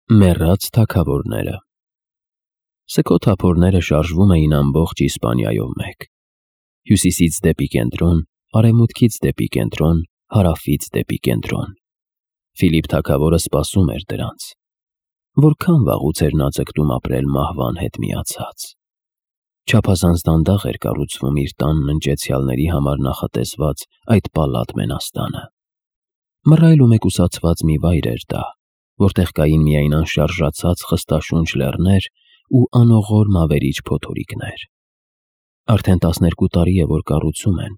Մեռած թագավորները։ Սգո թափորները շարժվում էին ամբողջ Իսպանիայով մեկ. հյուսիսից դեպի կենտրոն, արևմուտքից դեպի կենտրոն, հարավից դեպի կենտրոն։ Ֆիլիպ թագավորը սպասում էր դրանց։ Որքան վաղուց էր նա ձգտում ապրել մահվան հետ միացած։ Չափազանց դանդաղ էր կառուցվում իր տանն ընճեցյալների համար նախատեսված այդ պալատ մենաստանը։ Մռայլ ու մեկուսացված մի վայր էր դա, որտեղ կային միայն անշարժացած խստաշունչ լեռներ ու անողոր մավերիչ փոթորիկներ։ Արդեն 12 տարի է, որ կառուցում են,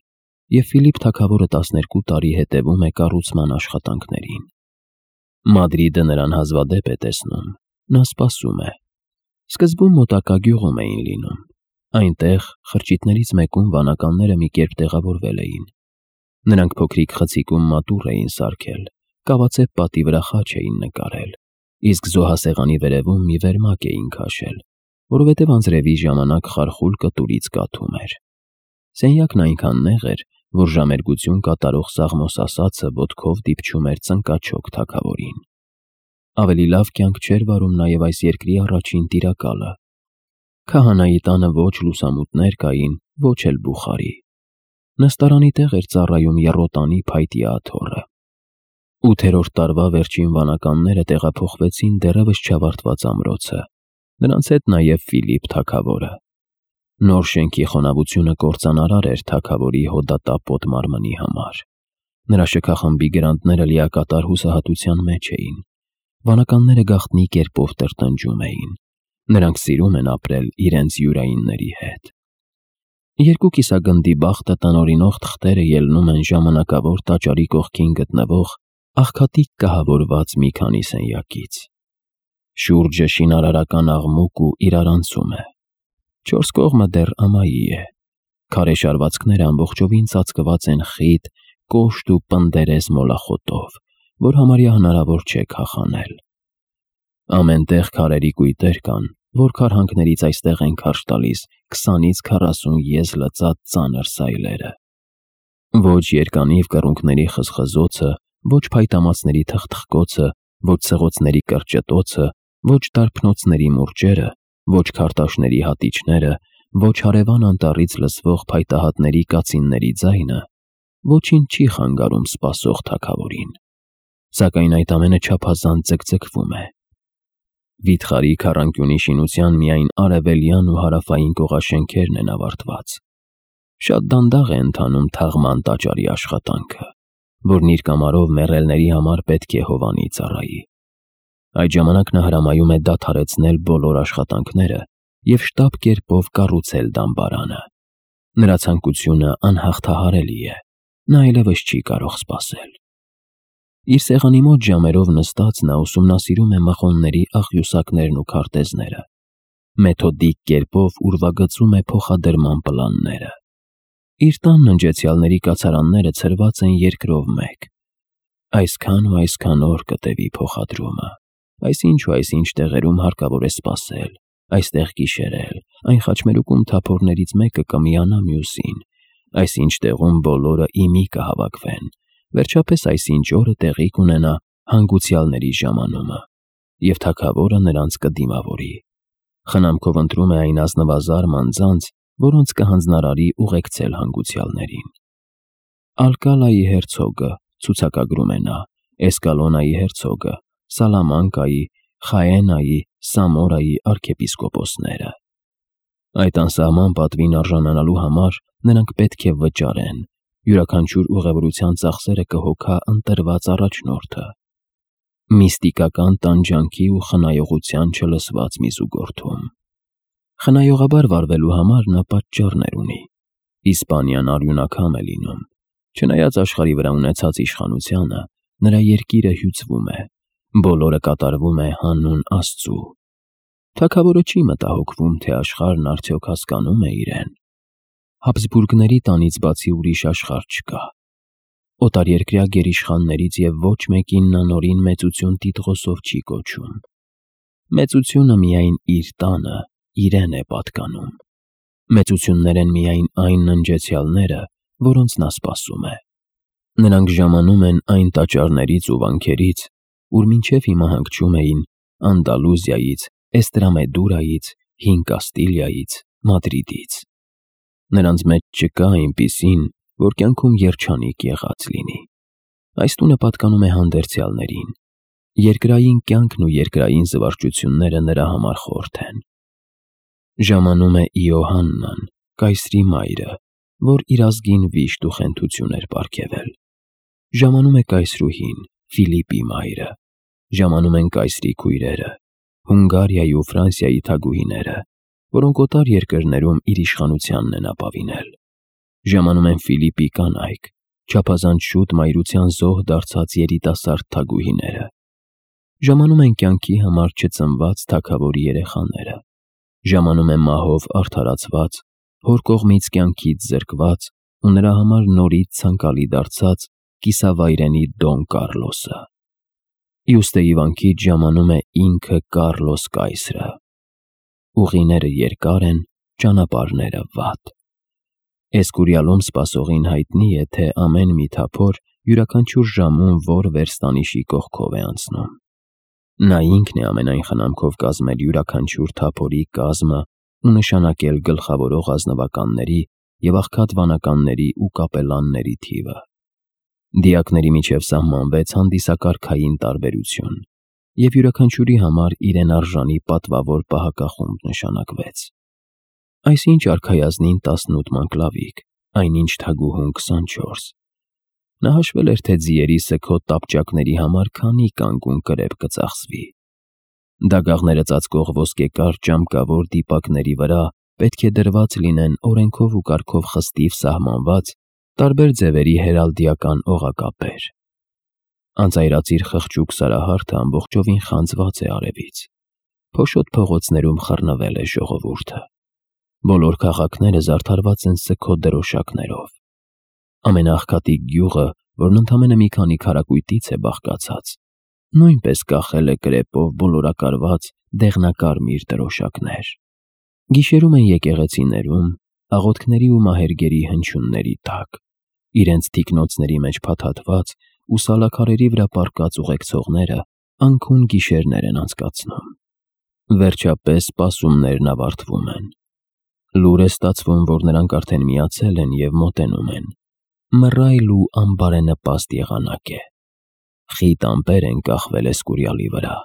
և Ֆիլիպ թագավորը 12 տարի հետևում է կառուցման աշխատանքներին։ Մադրիդը նրան հազվադեպ է տեսնում, նա սպասում է։ Սկզբում մոտակա գյուղում էին լինում։ Այնտեղ խրճիթներից մեկում վանականները մի կերպ տեղավորվել էին։ Նրանք փոքրիկ խցիկում մատուռ էին սարքել, կավացեպ պատի վրա խաչ էին նկարել, իսկ զոհասեղանի վերևում մի վերմակ էին քաշել, որովհետև անձրևի ժամանակ խարխուլ կտուրից կաթում էր։ Սենյակն այնքան նեղ էր, որ ժամերգություն կատարող Սաղմոս ասածը ոտքով դիպչում էր ծնկաչոք թագավորին։ Ավելի լավ կյանք չէր վարում նաև այս երկրի առաջին տիրակալը։ Քահանայի տանը ոչ լուսամուտներ կային, ոչ էլ բուխարի։ Նստարանի տեղ էր ծառայում եռոտանի փայտի աթոռը։ 8-րդ տարվա վերջին վանականները տեղափոխվեցին դեռևս չավարտված ամրոցը, նրանց հետ նաև Ֆիլիպ թագավորը։ Նոր շենքի խոնավությունը կործանարար էր թագավորի հոդատապոտ մարմնի համար։ Նրա շքախմբի գրանտները լիակատար հուսահատության մեջ էին։ Վանականները գաղտնի կերպով տրտնջում էին։ Նրանք սիրում են ապրել իրենց յուրայինների հետ։ Երկու կիսագնդի բախտը տնօրինող թղթերը ելնում են ժամանակավոր տաճարի կողքին գտնվող աղքատիկ կահավորված մի քանի սենյակից։ Շուրջը շինարարական աղմուկ ու իրարանցում է։ 4 կողմը դեռ ամայի է։ Քարե շարվածքները ամբողջովին ծածկված են խիտ, կոշտ ու պնդերես մոլախոտով, որ համարյա հնարավոր չէ քախանել։ Ամեն տեղ քարերի կույտեր կան, որ քարհանքներից այստեղ են քարշ տալիս 20-ից 40 եզ լծած ծանր սայլերը։ Ոչ երկանիվ կռունկների խզխզոցը, ոչ փայտամածների թխթխկոցը, ոչ ցեղոցների կրճտոցը, ոչ դարբնոցների մուրճերը, ոչ քարտաշների հատիչները, ոչ հարևան անտառից լսվող փայտահատների կացինների ձայնը ոչինչ չի խանգարում սպասող թագավորին։ Սակայն այդ ամենը չափազանց ձգձգվում է։ Վիթխարի քառանկյունի շինության միայն արևելյան ու հարավային կողաշենքերն են ավարտված։ Շատ դանդաղ է ընթանում թաղման տաճարի աշխատանքը, որն իր կամարով մեռելների համար պետք է հովանի ծառայի։ Այդ ժամանակ նա հրամայում է դադարեցնել բոլոր աշխատանքները և շտապ կերպով կառուցել դամբարանը։ Նրա ցանկությունը անհաղթահարելի է, նա այլևս չի կարող սպասել։ Իր սեղանի մոտ ժամերով նստած նա ուսումնասիրում է մղոնների աղյուսակներն ու քարտեզները։ Մեթոդիկ կերպով ուրվագծում է փոխադրման պլանները։ Իր տանն ընճեցյալների կացարանները ցրված են երկրով մեկ։ Այսքան ու այսքան օր կտևի փոխադրումը, այսինչ ու այսինչ տեղերում հարկավոր է սպասել, այստեղ գիշերել, այն խաչմերուկում թափորներից մեկը կմիանա մյուսին, այսինչ տեղում բոլորը իմի կհավաքվեն, վերջապես այսինչ օրը տեղի կունենա հանգուցյալների ժամանումը, և թագավորը նրանց կդիմավորի։ Խնամքով ընտրում է այն ազնվազար մանձանց, որոնց կհանձնարարի ուղեկցել հանգուցյալներին։ Ալկալայի հերցոգը, ցուցակագրում է նա, Էսկալոնայի հերցոգը, Սալամանկայի, Խաենայի, Սամորայի արքեպիսկոպոսները։ Այդ անսահման պատվին արժանանալու համար նրանք պետք է վճարեն, յուրաքանչյուր ուղևորության ծախսերը կհոգա ընտրված առաջնորդը։ Միստիկական տանջանքի ու խնայողության չլսված մի զուգորդում։ Խնայողաբար վարվելու համար նա պատճառներ ունի։ Իսպանիան արյունակամ է լինում։ Չնայած աշխարհի վրա ունեցած իշխանությանը, նրա երկիրը հյուծվում է, բոլորը կատարվում է հանուն Աստծու։ Թագավորը չի մտահոգվում, թե աշխարհն արդյոք հասկանում է իրեն։ Հաբսբուրգների տանից բացի ուրիշ աշխարհ չկա։ Օտարերկրյա գերիշխաններից և ոչ մեկին նա նորին մեծություն տիտղոսով չի կոչում։ Մեծությունը միայն իր տանը, իրեն է պատկանում։ Մեծություններ են միայն այն ննջեցյալները, որոնց նա սպասում է։ Նրանք ժամանում են այն տաճարներից ու վանքերից, ուր մինչև հիմա հանգչում էին Անդալուզիայից, Էստրամեդուրայից, Հին Կաստիլիայից, Մադրիդից։ Նրանց մեջ չկա այնպիսին, որ կյանքում երջանիկ եղած լինի։ Այս տունը պատկանում է հանդերձյալներին։ Երկրային կյանքն ու երկրային զվարճությունները նրա համար խորթ են։ Ժամանում է Իոհաննան, կայսրի մայրը, որ իր ազգին վիշտ ու խենթություն էր պարգևել։ Ժամանում է կայսրուհին, Ֆիլիպի մայրը։ Ժամանում են կայսրի քույրերը, Հունգարիայի ու Ֆրանսիայի թագուհիները, որոնք օտար երկրներում իր իշխանությանն են ապավինել։ Ժամանում են Ֆիլիպի կանայք, չափազանց շուտ մայրության զոհ դարձած երիտասարդ թագուհիները։ Ժամանում են կյանքի համար չծնված թագավորի երեխաները։ Ժամանում են մահով արդարացված, հոր կողմից կյանքից զրկված ու նրա համար նորից ցանկալի դարձած կիսավայրենի Դոն Կարլոսը։ Իուստեի վանքից ժամանում է ինքը Կարլոս կայսրը։ Ուղիները երկար են, ճանապարհները վատ։ Էսկուրիալում սպասողին հայտնի է, թե ամեն մի թափոր յուրաքանչյուր ժամում որ վերստանիշի կողքով է անցնում։ Նա ինքն է ամենայն խնամքով կազմել յուրաքանչյուր թափորի կազմը ու նշանակել գլխավորող ազնվականների և աղքատ վանականների ու կապելանների թիվը։ Դիակների միջև սահմանվեց հանդիսակարգային տարբերություն, և յուրաքանչյուրի համար իրեն արժանի պատվավոր պահակախումբ նշանակվեց։ Այսինչ արքայազնին 18 մանկլավիկ, այնինչ թագուհուն 24։ Նա հաշվել էր, թե ձիերի սգոտ տապճակների համար քանի կանգուն կրեպ կծախսվի։ Դագաղները ծածկող ոսկեկար ճամկավոր դիպակների վրա պետք է դրված լինեն օրենքով ու կարգով խստիվ սահմանված տարբեր ձևերի հերալդիական օղակապեր։ Անծայրածիր խղճուկ սարահարթը ամբողջովին խանձված է արևից։ Փոշոտ փողոցներում խռնվել է ժողովուրդը։ Բոլոր քաղաքները զարդարված են սգոտ դրոշակներով։ Ամենաաղքատի գյուղը, որն ընդամենը մի քանի քառակույտից է բաղկացած, նույնպես կախել է կրեպով բոլորակարված դեղնակարմիր դրոշակներ։ Գիշերում են եկեղեցիներում, աղոթքների ու մահերգերի հնչյունների տակ, իրենց թիկնոցների մեջ փաթաթված ու սալաքարերի վրա պառկած ուղեկցողները անքուն գիշերներ են անցկացնում։ Վերջապես սպասումներն ավարտվում են։ Լուր է ստացվում, որ նրանք արդեն միացել են և մոտենում են։ Մռայլ ու անբարենպաստ եղանակ է։ Խիտ ամպեր են կախվել Էսկուրիալի վրա։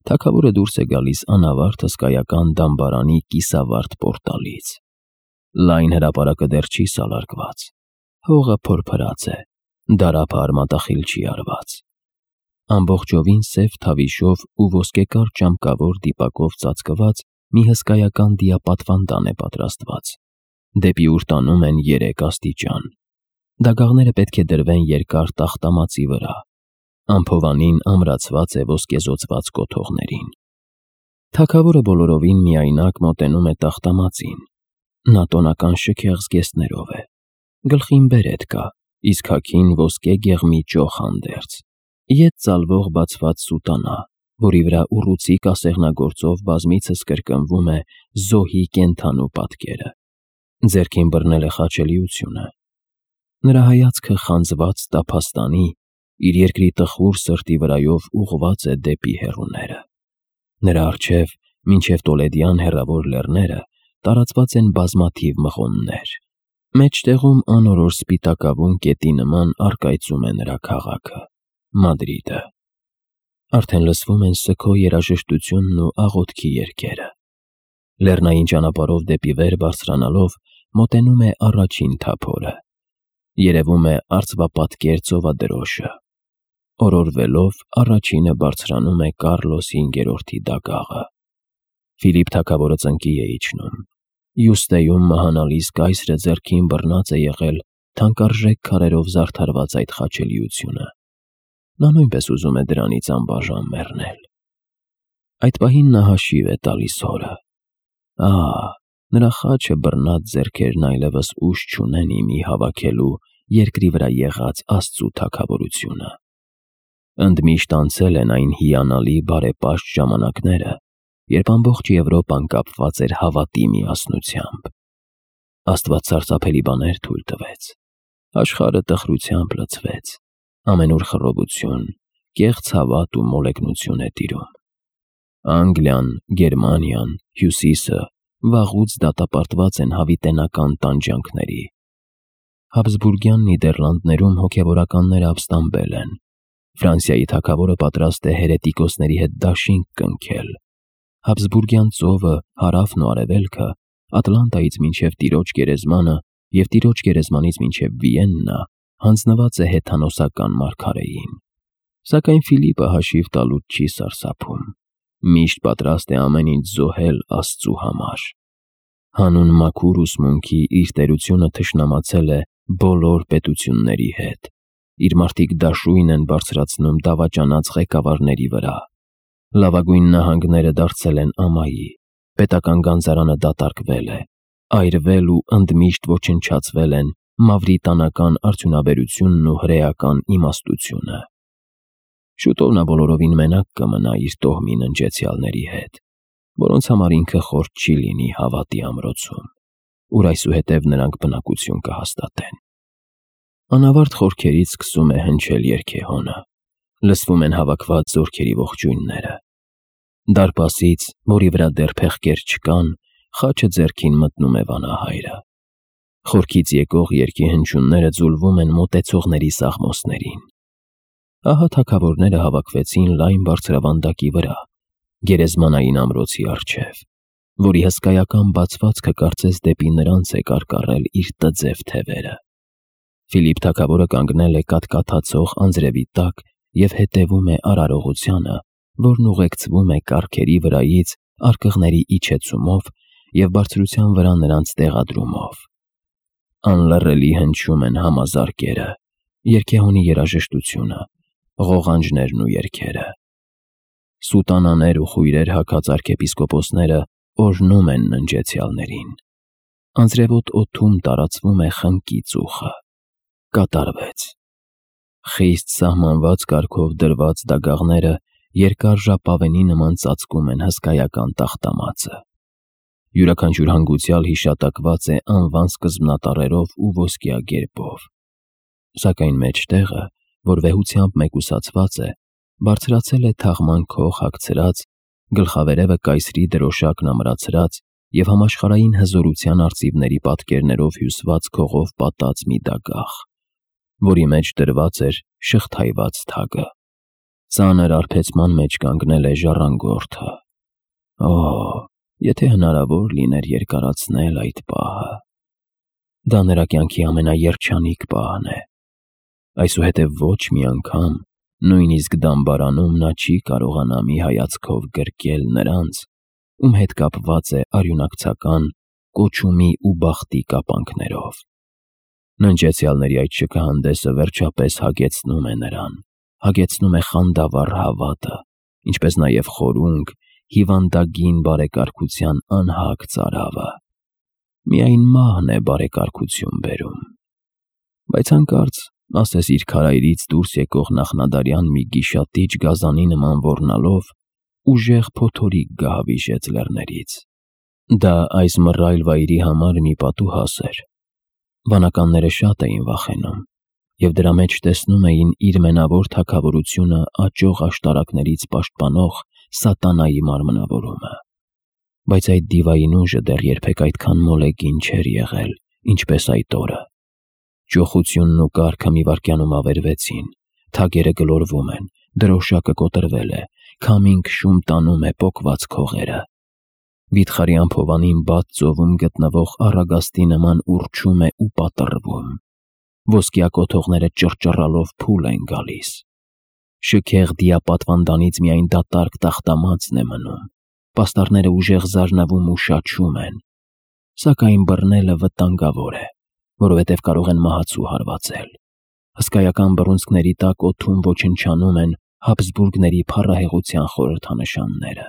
Թագավորը դուրս է գալիս անավարտ հսկայական դամբարանի կիսավարտ պորտալից։ Լայն հրապարակը դեռ չի սալարկված։ Հողը փորփրած է, դարափը արմատախիլ չի արված։ Ամբողջովին սև թավիշով ու ոսկեկար ճամկավոր դիպակով ծածկված մի հսկայական դիապատվանդան է պատրաստված։ Դեպի ուր տանում են 3 աստիճան։ Դագաղները պետք է դրվեն երկար տախտամածի վրա։ Ամփովանին ամրացված է ոսկեզօծված կոթողներին։ Թագավորը բոլորովին միայնակ մոտենում է տախտամածին։ Նա տոնական շքեղ զգեստներով է։ Գլխին բերետ կա, իսկ հագին ոսկե գեղմի ճոխ հանդերձ։ Ետ ծալվող բացված սուտանա, որի վրա ուռուցիկ ասեղնագործով բազմիցս կրկնվում է զոհի կենդանու պատկերը։ Ձեռքին բռնել է խաչելիությունը։ Նրա հայացքը խանձված տափաստանի, իր երկրի տխուր սրտի վրայով ուղղված է դեպի հեռուները։ Նրա առջև, մինչև Տոլեդյան հեռավոր լեռները, տարածված են բազմաթիվ մղոններ։ Մեջտեղում անորոշ սպիտակավուն կետի նման առկայծում է նրա քաղաքը՝ Մադրիդը։ Արդեն լսվում են սգո երաժշտությունն ու աղոթքի երգերը։ Լեռնային ճանապարհով դեպի վեր բարձրանալով մոտենում է առաջին թափորը։ Երևում է արծվապատկեր ծովադրոշը։ Օրորվելով առաջինը բարձրանում է Կարլոս 5-րդի դագաղը։ Ֆիլիպ թագավորը ծնկի է իջնում։ Իուստեյում մահանալից կայսրը ձեռքին բռնած է եղել թանկարժեք քարերով զարդարված այդ խաչելիությունը։ Նա նույնպես ուզում է դրանից անբաժան մեռնել։ Այդ պահին նա հաշիվ է տալիս հորը։ Նրա խաչը բռնած ձեռքերն այլևս ուժ չունեն իմի հավաքելու երկրի վրա եղած Աստծու թագավորությունը։ Ընդմիշտ անցել են այն հիանալի բարեպաշտ ժամանակները, երբ ամբողջ Եվրոպան կապված էր հավատի միասնությամբ։ Աստված սարսափելի բաներ թույլ տվեց։ Աշխարհը տխրությամբ լցվեց։ Ամենուր խռովություն, կեղծ հավատ ու մոլեգնություն է տիրում։ Անգլիան, Գերմանիան, Հյուսիսը վաղուց դատապարտված են հավիտենական տանջանքների։ Հաբսբուրգյան Նիդերլանդներում հոգևորականները ապստամբել են։ Ֆրանսիայի թագավորը պատրաստ է հերետիկոսների հետ դաշինք կնքել։ Հաբսբուրգյան ծովը, հարավն ու արևելքը, Ատլանտայից մինչև Տիրոջ գերեզմանը և Տիրոջ գերեզմանից մինչև Վիեննա հանձնված է հեթանոսական մարգարեին։ Սակայն Ֆիլիպը հաշիվ տալուց չի սարսափում։ Միշտ պատրաստ է ամեն ինչ զոհել Աստծու համար։ Հանուն մաքուր ուսմունքի իր տերությունը թշնամացել է բոլոր պետությունների հետ։ Իր մարդիկ դաշույն են բարձրացնում դավաճանած ղեկավարների վրա։ Լավագույն նահանգները դարձել են ամայի, պետական գանձարանը դատարկվել է, այրվել ու ընդմիշտ ոչնչացվել են մավրիտանական արդյունաբերությունն ու հրեական իմաստությունը։ Շուտով նա բոլորովին մենակ կմնա իր տոհմի ննջեցյալների հետ, որոնց համար ինքը խորտ չի լինի հավատի ամրոցում, ուր այսուհետև նրանք բնակություն կհաստատեն։ Անավարտ խորքերից սկսում է հնչել երգեհոնը, լսվում են հավաքված զորքերի ողջույնները։ Դարպասից, որի վրա դեռ փեղկեր չկան, խաչը ձեռքին մտնում է վանահայրը։ Խորքից եկող երգի հնչյունները ձուլվում են մոտեցողների սաղմոսներին։ Ահա թագավորները հավաքվեցին լայն բարձրավանդակի վրա, գերեզմանային ամրոցի առջև, որի հսկայական բացվածքը կարծես դեպի նրանց է կարկառել իր տձև թևերը։ Ֆիլիպ թագավորը կանգնել է կաթկաթացող անձրևի տակ և հետևում է արարողությանը, որն ուղեկցվում է կառքերի վրայից արկղների իջեցումով և բարձրության վրա նրանց տեղադրումով։ Անլռելի հնչում են համազարկերը, երգեհոնի երաժշտությունը, ղողանջներն ու երգերը։ Սուտանաներ ու խույրեր հագած արքեպիսկոպոսները օրհնում են ննջեցյալներին։ Անձրևոտ օդում տարածվում է խնկի ծուխը։ Կատարվեց։ Խիստ սահմանված կարգով դրված դագաղները երկար ժապավենի նման ծածկում են հսկայական տախտամածը։ Յուրաքանչյուր հանգուցյալ հիշատակված է անվան սկզբնատառերով ու ոսկյա գերբով։ Սակայն մեջտեղը, որ վեհությամբ մեկուսացված է, բարձրացել է թաղման քող հագցրած, գլխավերևը կայսրի դրոշակն ամրացրած և համաշխարհային հզորության արծիվների պատկերներով հյուսված քողով պատած մի դագաղ, որի մեջ դրված էր շղթայված թագը։ Ծանր արբեցման մեջ կանգնել է ժառանգորդը։ Օ, եթե հնարավոր լիներ երկարացնել այդ պահը։ Դա նրա կյանքի ամենաերջանիկ պահն է։ Այսուհետև ոչ մի անգամ, նույնիսկ դամբարանում նա չի կարողանա մի հայացքով գրկել նրանց, ում հետ կապված է արյունակցական, կոչումի ու բախտի կապանքներով։ Ննջեցյալների այդ շքահանդեսը վերջապես հագեցնում է նրան, հագեցնում է խանդավառ հավատը, ինչպես նաև խորունգ, հիվանդագին բարեկարգության անհագ ծարավը։ Միայն մահն է բարեկարգություն բերում։ Բայց հանկարծ, ասես իր քարայրից դուրս եկող նախնադարյան մի գիշատիչ գազանի նման ոռնալով, ուժեղ փոթորիկ գահավիժեց լեռներից։ Դա այս մռայլ վայրի համար մի պատուհաս էր։ Վանականները շատ էին վախենում և դրա մեջ տեսնում էին իր մենավոր թագավորությունը աճող աշտարակներից պաշտպանող սատանայի մարմնավորումը։ Բայց այդ դիվային ուժը դեռ երբեք այդքան մոլեգին չէր եղել, ինչպես այդ օրը։ Ճոխությունն ու կառքը մի վայրկյանում ավերվեցին, թագերը գլորվում են, դրոշակը կոտրվել է, քամին քշում տանում է պոկված քողերը։ Վիթխարի անփովանին բաց ծովում գտնվող առագաստի նման ուռչում է ու պատռվում։ Ոսկյա կոթողները ճռճռալով փուլ են գալիս։ Շքեղ դիապատվանդանից միայն դատարկ տախտամածն է մնում։ Պաստառները ուժեղ զարնվում ու շաչում են։ Սակայն բռնելը վտանգավոր է, որովհետև կարող են մահացու հարվածել։ Հսկայական բռունցքների տակ օդում ոչնչանում են Հաբսբուրգների փառահեղության խորհրդանշանները։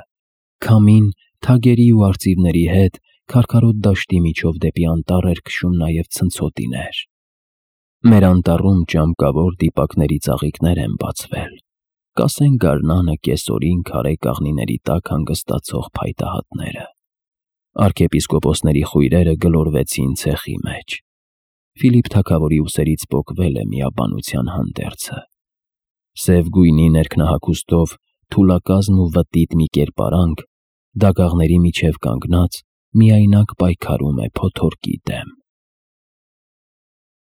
Քամին, թագերի ու արծիվների հետ քարքարոտ դաշտի միջով դեպի անտառ էր քշում նաև ցնցոտիներ։ Մեր անտառում ճամկավոր դիպակների ծաղիկներ են բացվել, կասեն գարնանը կեսօրին քարե կաղնիների տակ հանգստացող փայտահատները։ Արքեպիսկոպոսների խույրերը գլորվեցին ցեխի մեջ։ Ֆիլիպ թագավորի ուսերից պոկվել է միաբանության հանդերձը։ Սև գույնի ներքնահագուստով թուլակազմ ու վտիտ մի կերպարանք, դագաղների միջև կանգնած, միայնակ պայքարում է փոթորկի դեմ։